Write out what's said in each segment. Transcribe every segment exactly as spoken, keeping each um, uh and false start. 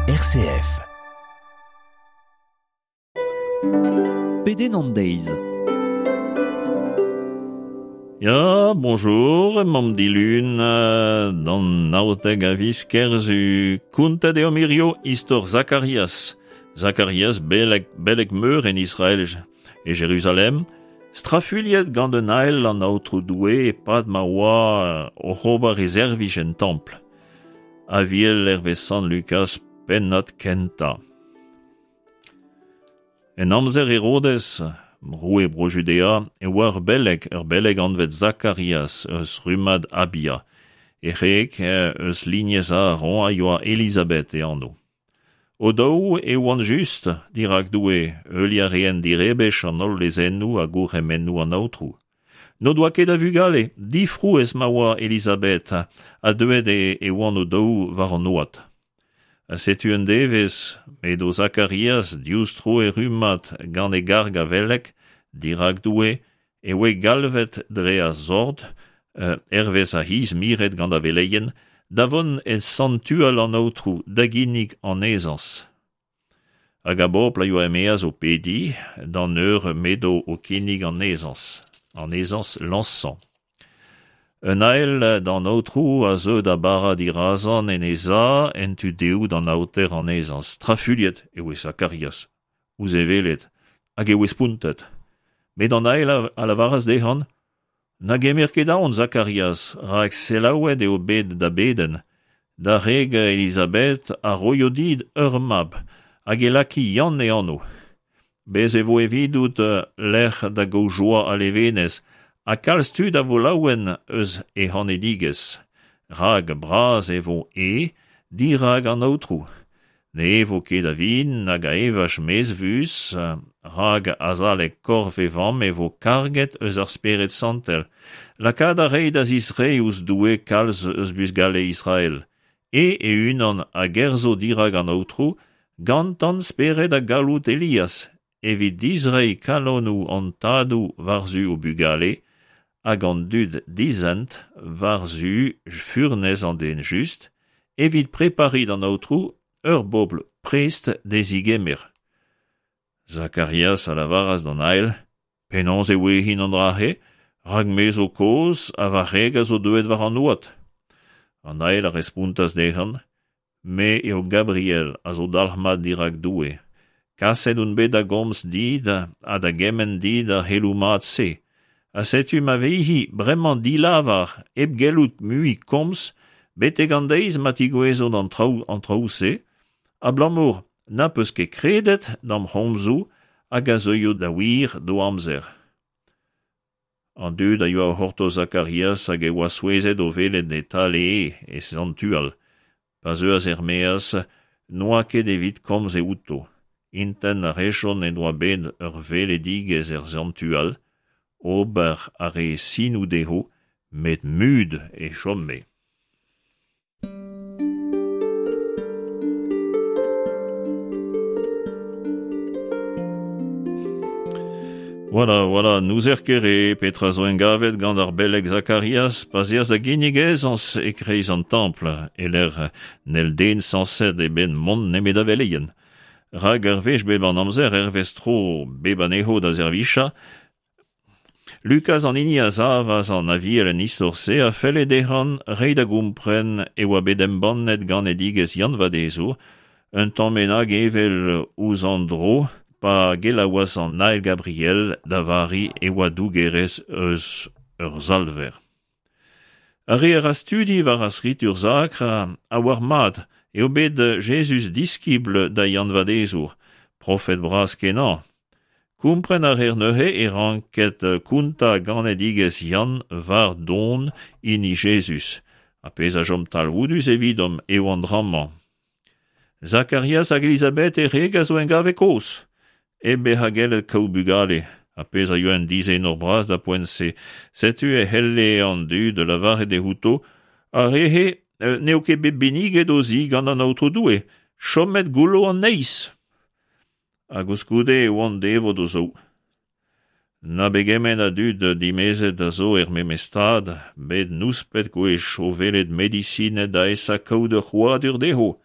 R C F. Pedenn an deiz. Ya, bonjour, mamm dilun, d'an naotek a viz Kerzu. Kountet eo mirio istor Zakarias. Zakarias, beleg, beleg meur en Israel e Jerusalem, strafuilhet gant un ael an aotrou Doue e-pad ma oa oc'h ober e servij en templ. Aviel hervez Sant Lukas pennad kentañ. En amzer Herodes, roue Bro-Judea, e oa ur beleg, ur beleg anvet Zakarias eus rummad Abia. E c'hreg eus lignez Aaron a yoa Elizabeth e anv. O daou e oant just dirak Doue, heuliañ a reent direbech an holl lezennoù ha gourc'hemennoù an aotrou. N'o doa ket a vugale, difrouezh ma oa Elizabeth, ha deuet e, e oant o daou war an oad. Ha setu un devezh, m'edo Zakarias diouzh tro e rummad gant e garg a veleg dirak Doue, e oe galvet dre ar sord, euh, hervez ar c'hiz miret gant ar veleien, da vont e santual an aotrou da ginnig an ezañs. Hag a bobl a yoa e-maez o pediñ d'an eur m'edo o kinnig an ezañs, an ezañs lañsañ. Un ael d'an aotrou a zeu da bara dirazan en e za en tu dehoù d'an aoter an ezañs. Strafuilhet e oe Zakarias, ouzh e welet, hag e oe spontet. Met an ael a lavaras dezhan, Na gemer ket aon, Zakarias, rak selaouet eo bet da bedenn, da wreg Elizabeth a roio dit ur mab, hag e laki Yann e anv. Bez e vo evidout lec'h da gaout joa ha levenez, ha kalz tud a vo laouen eus e c'hanedigezh. Rak bras e vo e dirak an aotrou. Ne evo ket a vin nag a evaj mezvus, rak azalek korf e vamm e vo karget eus ar Spered Santel. Lakaat a rei da zisreiñ ouzh Doue kalz eus bugale Israel. E e-unan a gerzho dirak an aotrou, gantan spered ha galloud Elias, evit dizreiñ kalonoù an tadoù war-zu o bugale, hag an dud dizent war-zu furnez an den just, evit prepariñ d'an aotrou ur bobl prest d'e zigemer. Zakarias a lavaras d'an ael, penaos e ouezin an dra-se, rak me zo kozh ha va c'hreg a zo deuet war an oad. An ael a respontas dezhan, me eo Gabriel a zo dalc'hmat dirak Doue. Kaset on bet da gomz dit ha da gemenn dit ar c'heloù mat-se. Ha setu ma vezi bremañ dilavar hep gellout mui komz betek an deiz ma tigouezo an traoù an traoù-se, abalamour na peus ket kredet d'am c'homzoù hag a zeuio da wir d'o amzer. An dud a yoa o c'hortoz Zakarias hag e oa souezhet o welet e talee e santual. Pa zeuas er-maez, n'oa ket evit komz e outo. Intent a rejont en doa bet ur weledigezh er santual, ober a re sinoù dezho, met mut e chome. Voilà, voilà, n'ouzer ket re petra zo engavet gant ar beleg Zakarias pa 'z eas da ginnig ezañs e-kreiz an templ, e-lec'h n'hell den sañset e-benn mont nemet da veleien. Rak ar wech bep an amzer hervez tro bep anezho da servijañ, Lukas an hini a savas an aviel en istor-se a felle dezhan reiñ da gompren e oa bet embannet ganedigezh Yann Vadezour, un tamm bennak evel ouzh an dro, pa gelaouas an ael Gabriel da Vari e oa dougerez eus ur salver. Ar re a ra studi war ar skritur sakr a oar mat eo bet Jezuz diskibl da Yann Vadezour, profed bras kenañ. Kompren a reer neuze e ranket kontañ ganedigezh Yann war don hini Jezuz. Ha pezh a chom talvoudus evidomp eo an dra-mañ. Zakarias hag Elizabeth e wreg a zo engave kozh, hep bezañ gellet kaout bugale, ha pezh a yoa un dizenor bras da poent-se. Setu e c'helle an dud lavaret dezho, ar re-se n'eo ket bet benniget o zi gant an aotrou Doue, chomet goullo an neizh. Hag koulskoude e oant devot o zaou. Na begement a dud dimezet a zo er memes stad, bet nouspet gwech o welet medisined da esa kaout ur c'hrouadur dezho.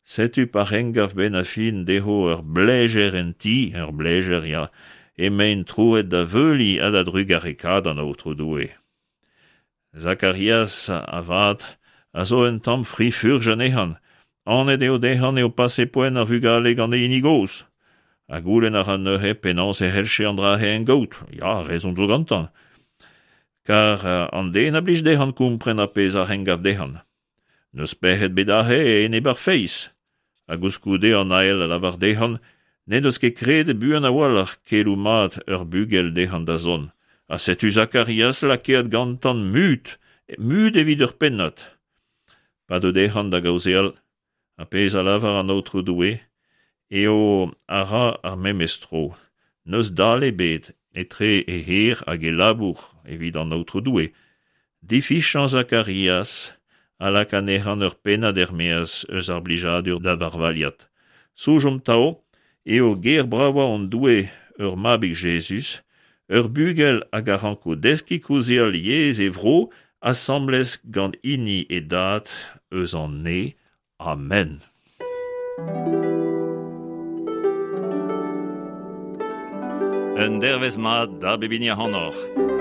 Setu pa c'hengav ben a fin dezho ur blejer en ti, ur blejer ya, emaint troet da veuli ha da drugarekaat an Aotrou Doue. Zakarias avat a zo un tamm fri-furch anezhan. Anet eo dezhan eo pase poent ar vugale gant e hini gozh. Ha goulenn a ra neuze penaos e c'hellche an dra-se en gaout. Ya, rezon zo gantan. Kar an den a blij dezhan kompren ar pezh a c'hengav dezhan. N'eus pec'hed bet aze enep ar feiz. Ha koulskoude an ael a lavar dezhan n'en deus ket kredet buan a-walc'h keloù mat ur bugel dezhan da zont. Ha setu Zakarias lakaet gantan mut, mut evit ur pennad. Pa deu dezhan da gaozeal, ar pezh a lavar an Aotrou Doue, eo a ra ar memes tro. N'eus dale ebet etre e c'her hag e labour evit an Aotrou Doue. Difichañ Zakarias a lak anezhan ur pennad er-maez eus ar blijadur da varvaliat. Soñjomp 'tav eo ger bravañ hon Doue ur mabig Jezuz, ur bugel hag a ranko deskiñ kaozeal yezh e vro asambles gant hini e dad eus an neñv. Amen. Un dervezh mat da bep hini ac'hanoc'h.